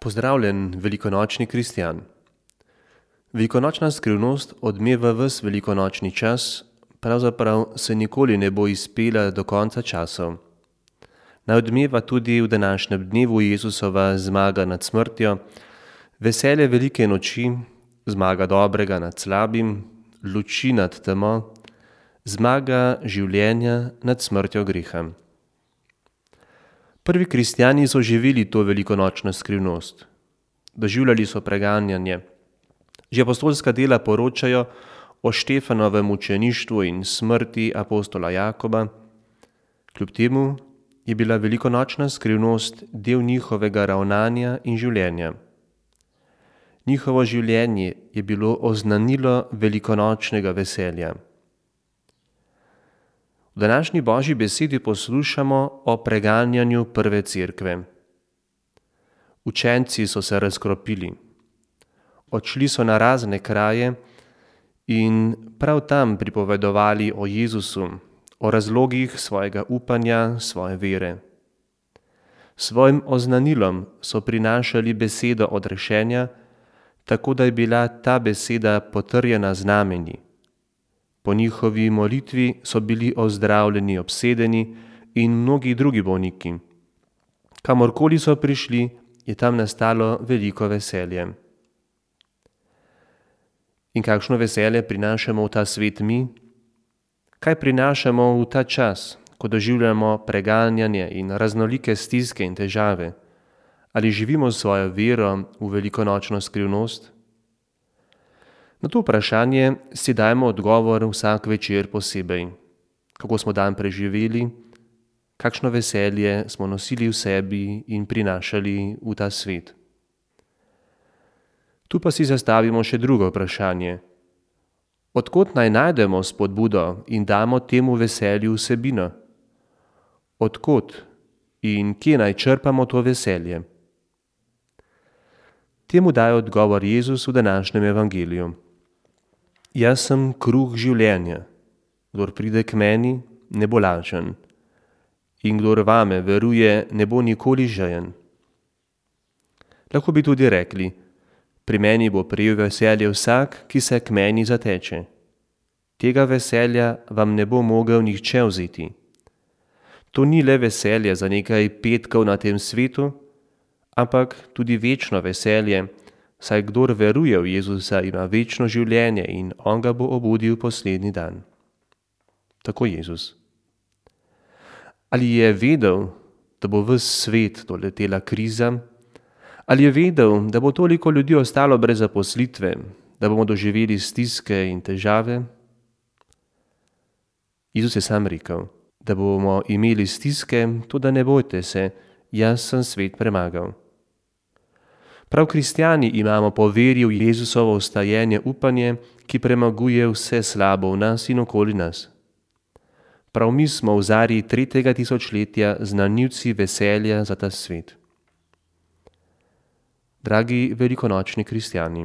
Pozdravljen, velikonočni kristjan. Velikonočna skrivnost odmeva ves velikonočni čas, pravzaprav se nikoli ne bo izpela do konca časov. Naj odmeva tudi v današnjem dnevu Jezusova zmaga nad smrtjo, veselje velike noči, zmaga dobrega nad slabim, luči nad temo, zmaga življenja nad smrtjo greha. Prvi kristjani so živeli to velikonočno skrivnost. Doživljali so preganjanje. Že apostolska dela poročajo o Štefanovem mučeništvu in smrti apostola Jakoba. Kljub temu je bila velikonočna skrivnost del njihovega ravnanja in življenja. Njihovo življenje je bilo oznanilo velikonočnega veselja. V današnji Božji besedi poslušamo o preganjanju prve cerkve. Učenci so se razkropili. Odšli so na razne kraje in prav tam pripovedovali o Jezusu, o razlogih svojega upanja, svoje vere. Svojim oznanilom so prinašali besedo odrešenja, tako da je bila ta beseda potrjena znamenji. Po njihovi molitvi so bili ozdravljeni obsedeni in mnogi drugi bolniki. Kamorkoli so prišli, je tam nastalo veliko veselje. In kakšno veselje prinašamo v ta svet mi? Kaj prinašamo v ta čas, ko doživljamo preganjanje in raznolike stiske in težave? Ali živimo svojo vero v velikonočno skrivnost? Na to vprašanje si dajmo odgovor vsak večer posebej. Kako smo dan preživeli, kakšno veselje smo nosili v sebi in prinašali v ta svet. Tu pa si zastavimo še drugo vprašanje. Od kod naj najdemo spodbudo in damo temu veselju vsebino? Od kod in kje naj črpamo to veselje? Temu daje odgovor Jezus v današnjem evangeliju. Jaz sem kruh življenja. Kdor pride k meni, ne bo lačen. In kdor vame veruje, ne bo nikoli žejen. Lahko bi tudi rekli, pri meni bo prejel veselje vsak, ki se k meni zateče. Tega veselja vam ne bo mogel nihče vzeti. To ni le veselje za nekaj petkov na tem svetu, ampak tudi večno veselje, saj kdor veruje v Jezusa, ima večno življenje in on ga bo obudil poslednji dan. Tako Jezus. Ali je vedel, da bo ves svet doletela kriza? Ali je vedel, da bo toliko ljudi ostalo brez zaposlitve, da bomo doživeli stiske in težave? Jezus je sam rekel, da bomo imeli stiske, toda ne bojte se, jaz sem svet premagal. Prav kristjani imamo po veri v Jezusovo vstajenje upanje, ki premaguje vse slabo v nas in okoli nas. Prav mi smo v zarji 3. tisočletja znanilci veselja za ta svet. Dragi velikonočni kristjani,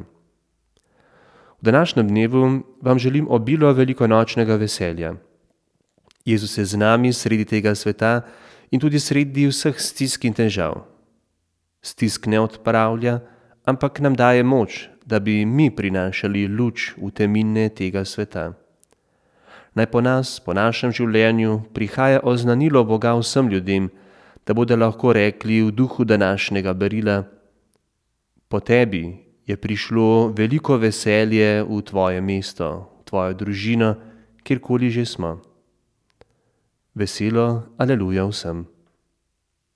v današnjem dnevu vam želim obilo velikonočnega veselja. Jezus je z nami sredi tega sveta in tudi sredi vseh stisk in težav. Stisk ne odpravlja, ampak nam daje moč, da bi mi prinašali luč v temine tega sveta. Naj po nas, po našem življenju, prihaja oznanilo Boga vsem ljudem, da bodo lahko rekli v duhu današnjega berila: po tebi je prišlo veliko veselje v tvoje mesto, v tvojo družino, kjerkoli že smo. Veselo, aleluja vsem.